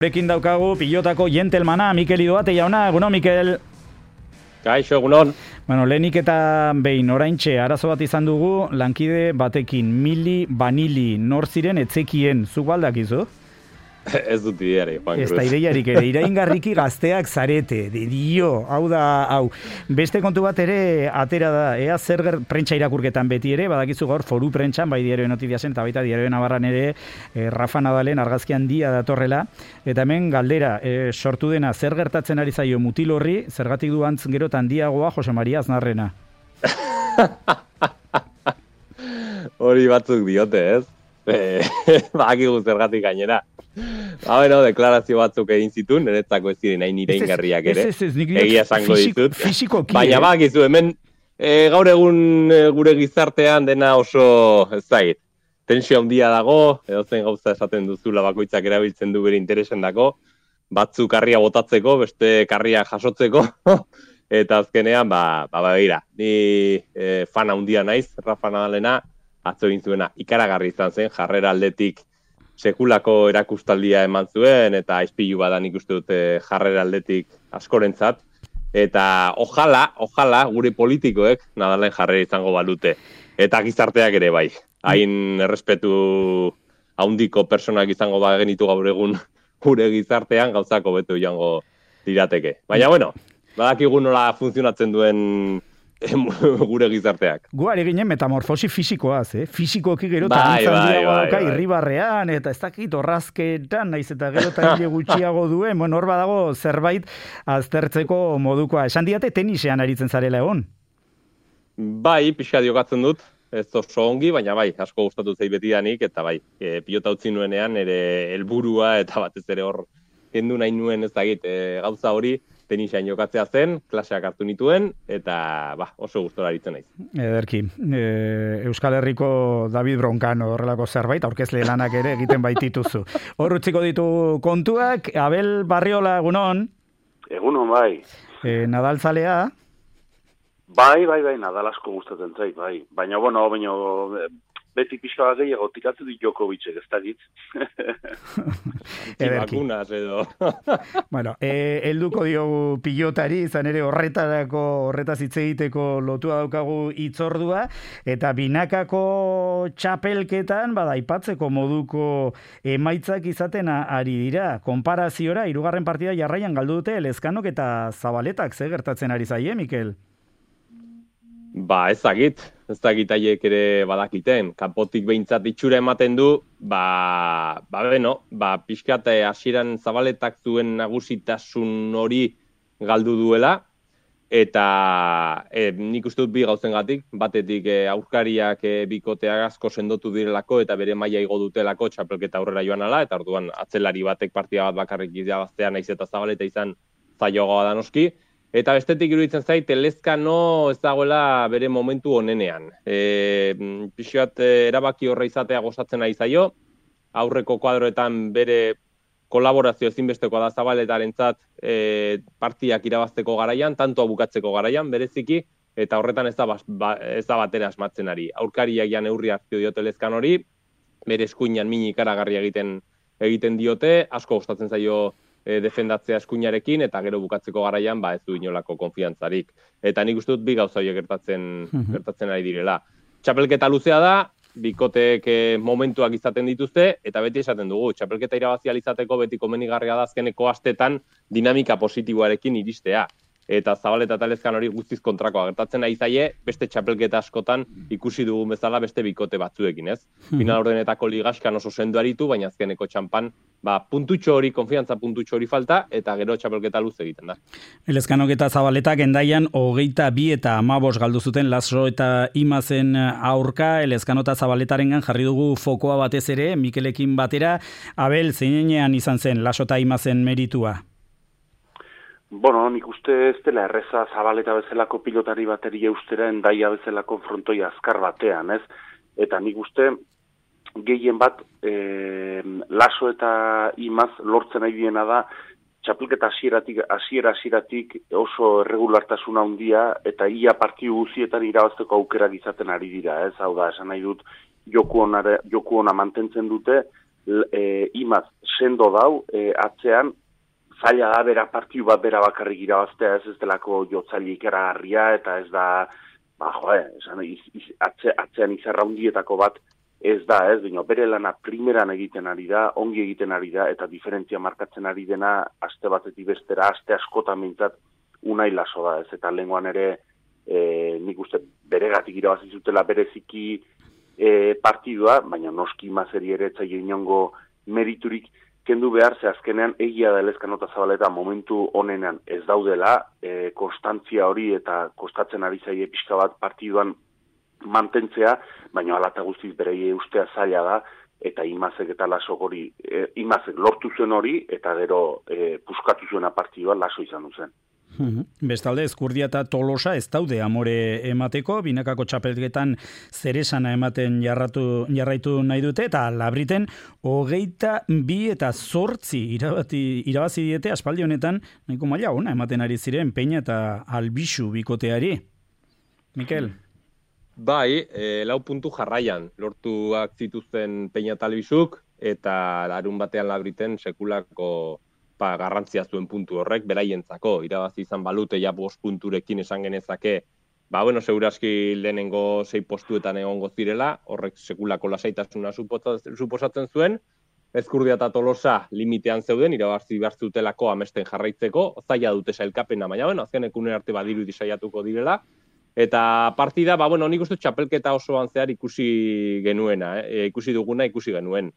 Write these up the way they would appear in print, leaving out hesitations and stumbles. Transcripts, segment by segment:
Gurekin daukagu pilotako jentelmana, Mikel Idoate jauna, egunon, Mikel. Kaixo, egunon. Bueno, lehenik eta behin oraintxe arazo bat izan dugu, lankide batekin, Mili Vanili, nor ziren etzekien, zuk baldakizu? Ez dut ideari, Juan Cruz. Ez da ideiarik ere, iraingarriki gazteak zarete, dio, hau da, hau. Beste kontu bat ere, atera da, ea zer prentsa irakurketan beti ere, badakizu gaur foru prentsan, bai Diario Notiziasen eta baita Diario Navarran ere, Rafa Nadalen argazki handia datorrela, eta hemen galdera, sortu dena, zer gertatzen ari zaio mutil horri, zergatik du antz gero handiagoa Jose Maria Aznarrena. Hori batzuk diote, ez? Bakigu zergatik gainera. Bueno, deklarazio batzuk egin zituen, niretzako ez ziren hain iraingarriak ere. Egia esango ditut. Baina bakizu, hemen gaur egun gure gizartean dena oso ez zait. Tensio handia dago, edozen gauza esaten duzula bakoitzak erabiltzen du bere interesen dako, batzuk karria botatzeko, beste karria jasotzeko, eta azkenean, begira, ni fan handia naiz, Rafa Nadalena, atzo egin zuena ikaragarri izan zen, jarrera aldetik sekulako erakustaldia eman zuen, eta aizpilu badan ikuste dute jarrera aldetik askorentzat, eta ojala gure politikoek Nadalen jarrera izango balute, eta gizarteak ere bai, hain errespetu handiko personak izango genitu gaur egun gure gizartean gauzako beto joango dirateke. Baina, bueno, badakigu nola funtzionatzen duen gure gizarteak. Guari ginen metamorfosi fisikoaz, Fisikoki gero handiago irribarrean, eta ez dakit orrazketan, naiz eta gero hile gutxiago duen, bueno, hor badago zerbait aztertzeko modukoa. Esan diate tenisean aritzen zarela egon? Bai, pixka diokatzen dut, ez oso ongi, baina bai, asko gustatu zait betidanik, eta bai, pilota utzi nuenean, ere helburua eta batez ere hor kendu nahi nuen ez dakit, gauza hori, tenisean jokatzea zen, klaseak hartu nituen, eta oso gustora aritzen naiz. Ederki, Euskal Herriko David Broncano horrelako zerbait, aurkezle lanak ere egiten baitituzu. Hor utziko ditu kontuak, Abel Barriola, egunon? Egunon, bai. Nadalzalea? Bai, Nadal asko gustatzen zait, bai. Baina, beti pixka bat gehiago tiratzen dit Djokovicek, ez dakit. Bakunaz edo. Bueno, helduko diogu pilotari, izan ere horretaz hitz egiteko lotua daukagu hitzordua, eta binakako txapelketan, aipatzeko moduko emaitzak izaten ari dira. Konparaziora, 3. partida jarraian galdu dute Elezkanok eta Zabaletak, ze gertatzen ari zaie, Mikel? Ez dakit haiek ere badakiten. Kanpotik behintzat itxura ematen du, pixkat hasieran Zabaletak zuen nagusitasun hori galdu duela, eta nik uste dut bi gauzengatik, batetik aurkariak bikoteak asko sendotu direlako eta bere maila igo dutelako txapelketa aurrera joan ala, eta orduan atzelari batek partida bat bakarrik irabaztea naiz eta Zabaleta izan zaioagoa da noski. Eta bestetik iruditzen zait, Elezkano ez dagoela bere momentu onenean. Pixkat erabaki horra izatea gozatzen ari zaio, aurreko kuadroetan bere kolaborazio ezinbestekoa da Zabaletarentzat partidak irabazteko garaian, tantoa bukatzeko garaian, bereziki, eta horretan ez da batera asmatzen ari. Aurkariak ja neurri hartzio diote Elezkanori, bere eskuinan mini ikaragarria egiten diote, asko gustatzen zaio defendatzea eskuinarekin, eta gero bukatzeko garaian ez du inolako konfiantzarik. Eta nik uste dut bi gauza horiek gertatzen ari direla. Txapelketa luzea da, bikoteek momentuak izaten dituzte, eta beti esaten dugu, txapelketa irabazial izateko beti komenigarria da azkeneko astetan dinamika positiboarekin iristea. Eta Zabaleta eta Elezkanori guztiz kontrakoa gertatzen ari zaie, beste txapelketa askotan ikusi dugun bezala beste bikote batzuekin, ez? Final ordenetako ligaskan oso sendo aritu, baina azkeneko txampan, konfiantza puntutxo hori falta, eta gero txapelketa luz egiten da. Elezkanok eta Zabaletak endaian 22 eta 15 galdu zuten Laso eta Imazen aurka, Elezkano eta Zabaletarengan jarri dugu fokoa batez ere, Mikelekin batera. Abel, zeinean izan zen Laso eta Imazen meritua? Nik uste ez dela erreza Zabaleta bezalako pilotari bateri eustera endaia bezalako frontoi azkar batean, ez? Eta nik uste gehien bat Laso eta Imaz lortzen nahi diena da txapelketa hasieratik oso erregulartasuna handia eta ia partidu guztietan irabazteko aukerak izaten ari dira, ez? Hau da, esan nahi dut joku ona mantentzen dute, Imaz sendo dau, atzean, zaila da bera partiu bat bera bakarrik irabaztea, ez delako jotzaile ikeragarria, eta ez da, atzean izarra hundietako bat ez da, ez, baina bere lana primeran egiten ari da, ongi egiten ari da, eta diferentzia markatzen ari dena, aste batetik bestera, aste askotan mintzat, Unai Laso da, ez, eta lehengoan ere, nik uste beregatik irabazi zutela bereziki partidua, baina noski Imazeri ere etzaio inongo meriturik kendu behar, ze azkenean egia da Elezkano eta Zabaleta momentu honenean ez daudela, konstantzia hori eta kostatzen ari zaie pixka bat partiduan mantentzea, baina alata guztiz berei ustea zaila da, eta Imazek eta Lasok hori, Imazek lortu zuen hori, eta gero puskatu zuena partidua Laso izan duzen. Bestalde, Ezkurdia eta Tolosa ez daude amore emateko, binakako txapelketan zeresana ematen jarraitu nahi dute, eta Labriten 22 eta 8 irabazi diete aspaldi honetan, nahiko maila ona ematen ari ziren Peña eta Albixu bikoteari. Mikel? Bai, 4 puntu jarraian lortuak zituzten Peña eta Albixuk, eta larun batean Labriten sekulako garrantzia zuen puntu horrek, beraientzako, irabazi izan balute ja 5 punturekin esan genezake, seguraski lehenengo 6 postuetan egongo zirela, horrek sekulako lasaitasuna suposatzen zuen, Ezkurdia eta Tolosa limitean zeuden, irabazi behar zutelako amesten jarraitzeko, zaila dute sailkapena, baina azken ekunen arte badiru saiatuko direla, eta partida, nik uste txapelketa osoan zehar ikusi genuena, ikusi duguna ikusi genuen.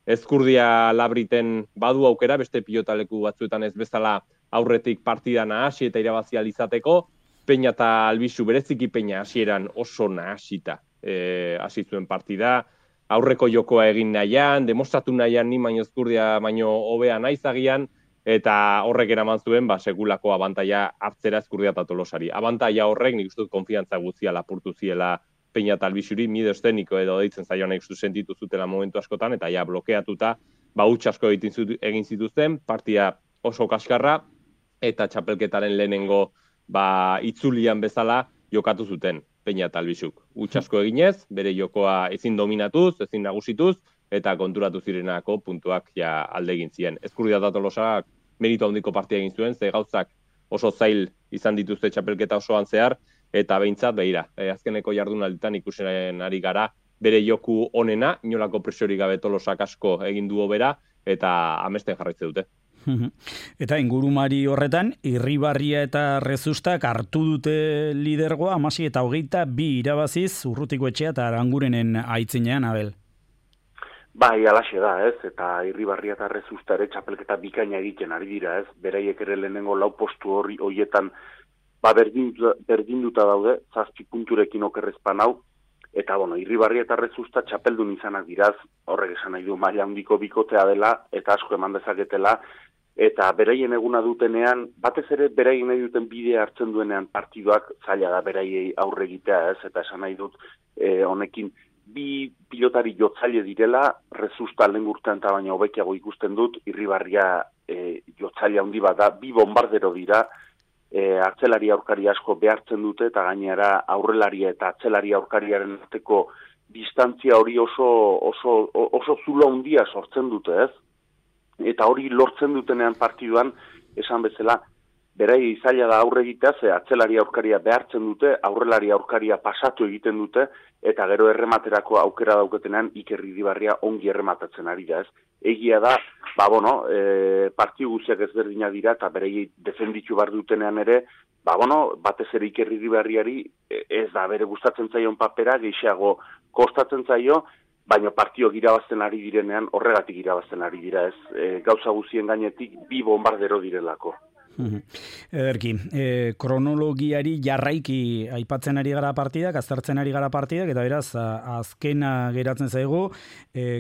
Ezkurdia Labriten badu aukera, beste pilotaleku batzuetan ez bezala aurretik partida nahasi eta irabazi izateko, Peña eta Albixu bereziki Peña hasieran oso nahasita hasi zuen partida, aurreko jokoa egin nahian, demostratu nahian ni baino Ezkurdia baino hobea naizagian, eta horrek eraman zuen sekulako abantaila hartzera Ezkurdia eta Tolosari. Abantaila horrek nik uste dut konfiantza guztia lapurtu ziela Peña eta Albixuri, miedo esteniko edo deitzen zaioan sentitu zutela momentu askotan, eta ja blokeatuta, huts asko egin zituzten, partia oso kaskarra, eta txapelketaren lehenengo itzulian bezala jokatu zuten Peña eta Albixuk. Huts asko eginez, bere jokoa ezin dominatuz, ezin nagusituz, eta konturatu zirenako puntuak ja alde egin ziren. Ezkurdia eta Tolosak meritu handiko partia egin zuen, ze gauzak oso zail izan dituzte txapelketa osoan zehar, eta behintzat, azkeneko jardunalditan ikusen ari gara, bere joku onena, inolako presiorik gabe Tolosak asko egin du hobera, eta amesten jarraitze dute. Eta ingurumari horretan, Irribarria eta Rezustak hartu dute lidergoa, 16 eta 22 irabaziz, Urrutiko Etxea eta Arangurenen aitzinean, Abel. Bai, alaxe da, ez, eta Irribarria eta Rezusta ere txapelketa bikaina egiten ari dira, ez, beraiek ere lehenengo 4 postu horietan berdinduta daude, 7 punturekin okerrezpan hau, eta Irribarria eta Rezusta txapeldun izanak diraz, horrek esan nahi du maila handiko bikotea dela, eta asko eman dezaketela, eta beraien eguna dutenean, batez ere beraien nahi duten bidea hartzen duenean partiduak zaila da beraiei aurre egitea, ez, eta esan nahi dut honekin, 2 pilotari jotzaile direla, Rezusta lehen urtean eta baina hobekiago ikusten dut, Irribarria jotzaile handi bat da, 2 bombardero dira, atzelari aurkari asko behartzen dute, eta gainera aurrelaria eta atzelari aurkariaren arteko distantzia hori oso zulo handia sortzen dute, ez? Eta hori lortzen dutenean partiduan, esan bezala, berai zaila da aurre egitea, ze atzelari aurkaria behartzen dute, aurrelari aurkaria pasatu egiten dute, eta gero errematerako aukera dauketenean Iker Irribarria ongi errematatzen ari da, ez? Egia da, partiu guztiak ezberdinak dira, eta berei defenditu bar dutenean ere, batez ere Iker Irribarriari ez da bere gustatzen zaion papera, gehiago kostatzen zaio, baina partioak irabazten ari direnean, horregatik irabazten ari dira, ez? Gauza guztien gainetik 2 bombardero direlako. Ederki, kronologiari jarraiki aipatzen ari gara partidak, aztertzen ari gara partidak, eta beraz, azkena geratzen zaigu,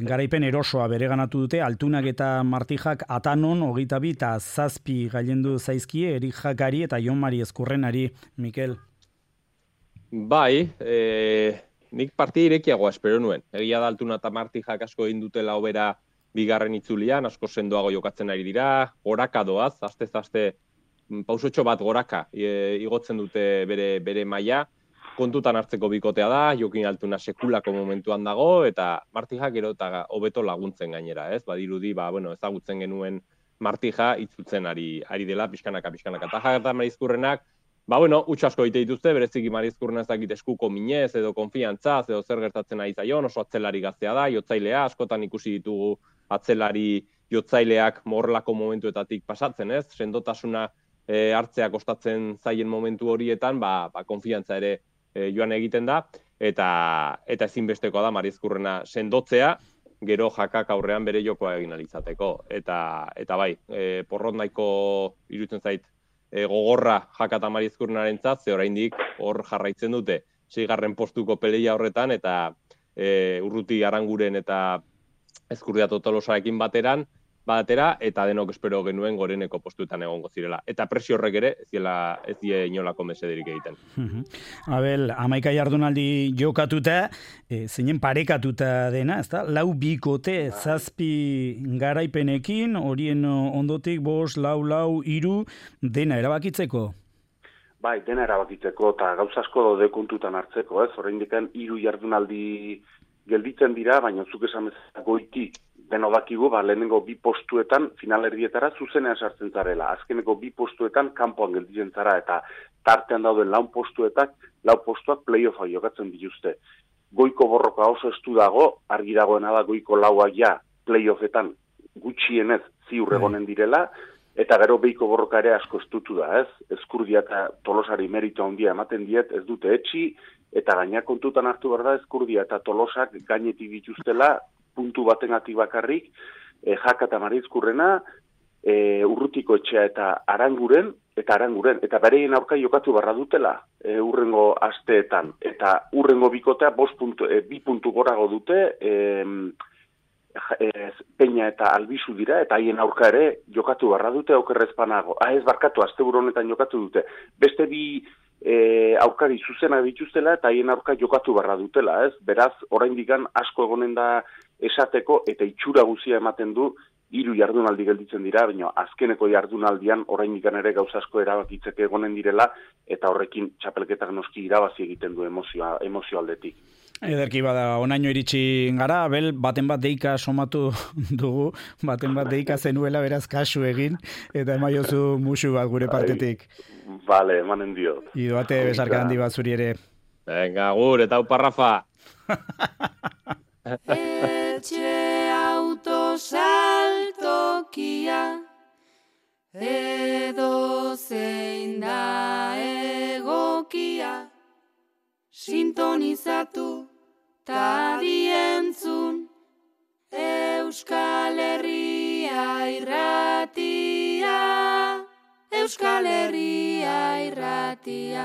garaipen erosoa bereganatu dute, Altunak eta Martijak Atanon, 22 eta 7 gailendu zaizkie, Erik Jakari eta Jon Mari Ezkurrenari, Mikel. Bai, nik partia irekiagoa espero nuen. Egia da Altuna eta Martijak asko egin dutela hobera bigarren itzulian, asko sendoago jokatzen ari dira, goraka doaz, aste pausotxo bat goraka igotzen dute bere maila, kontutan hartzeko bikotea da, Jokin Altuna sekulako momentuan dago, eta Martija gero eta hobeto laguntzen gainera, ez? Badirudi, ezagutzen genuen Martija itzultzen ari dela, pixkanaka. Eta Jaka Marizkurrenak, huts asko egite dituzte, bereziki Marizkurrena ez dakit eskuko minez, edo konfiantzaz, edo zer gertatzen ari zaion, oso atzelari gaztea da, jotzailea, askotan ikusi ditugu atzelari jotzaileak morlako momentuetatik pasatzen, ez? Sendotasuna hartzea kostatzen zaien momentu horietan, konfiantza ere joan egiten da, eta ezinbestekoa da Marizkurrena sendotzea, gero Jakak aurrean bere jokoa egin alizateko. Eta bai, porrot nahiko iruditzen zait gogorra Jaka eta Marizkurrenarentzat, ze oraindik hor jarraitzen dute 6. postuko peleia horretan, eta Urruti Aranguren eta Ezkurdiato Tolosarekin batera, eta denok espero genuen goreneko postuetan egongo zirela. Eta presio horrek ere, ez die inolako mesederik egiten. Abel, 11 jardunaldi jokatuta, zeinen parekatuta dena, ezta? 4 bikote, 7 garaipenekin, horien ondotik 5, 4, 3, dena erabakitzeko? Bai, dena erabakitzeko, eta gauza asko daude kontutan hartzeko, ez? Oraindik 3 jardunaldi gelditzen dira, baina zuk esan bezala goitik beno dakigu, lehenengo 2 postuetan finalerdietara zuzenean sartzen zarela. Azkeneko 2 postuetan kanpoan gelditzen zara, eta tartean dauden 4 postuak playoffa jokatzen dituzte. Goiko borroka oso estu dago, argi dagoena da goiko 4 ja playoffetan gutxienez ziur egonen direla, eta gero behiko borroka ere asko estutu da, ez? Ezkurdia eta Tolosari merito handia ematen diet, ez dute etxi, eta gaina kontutan hartu behar da Ezkurdia eta Tolosak gainetik dituztela, puntu batengatik bakarrik, Jaka eta Marizkurrena, Urrutiko Etxea eta Aranguren, eta bereien aurka jokatu barra dutela urrengo asteetan. Eta urrengo bikotea 2 puntu gorago dute, Peña eta Albizu dira, eta haien aurka ere jokatu barra dute aukerrezpanago. Asteburu honetan jokatu dute. Beste 2 aurkari zuzena dituztela, eta haien aurka jokatu barra dutela, ez? Beraz, oraindik asko egonen da esateko, eta itxura guzia ematen du, 3 jardunaldi gelditzen dira, baina azkeneko jardunaldian oraindik ere gauza asko erabakitzeke egonen direla, eta horrekin txapelketak noski irabazi egiten du emozio aldetik. Ederki bada, onaino iritsi gara, Abel, baten bat deika somatu dugu, baten bat deika zenuela beraz kasu egin, eta emaiozu musu bat gure partetik. Vale, emanen diot. Idoate besarka handi bat zuri ere. Venga, gur, eta uparrafa. Etxe autosaltokia, edo zein da egokia, sintonizatu ta dientzun, Euskal Herria irratia, Euskal Herria irratia.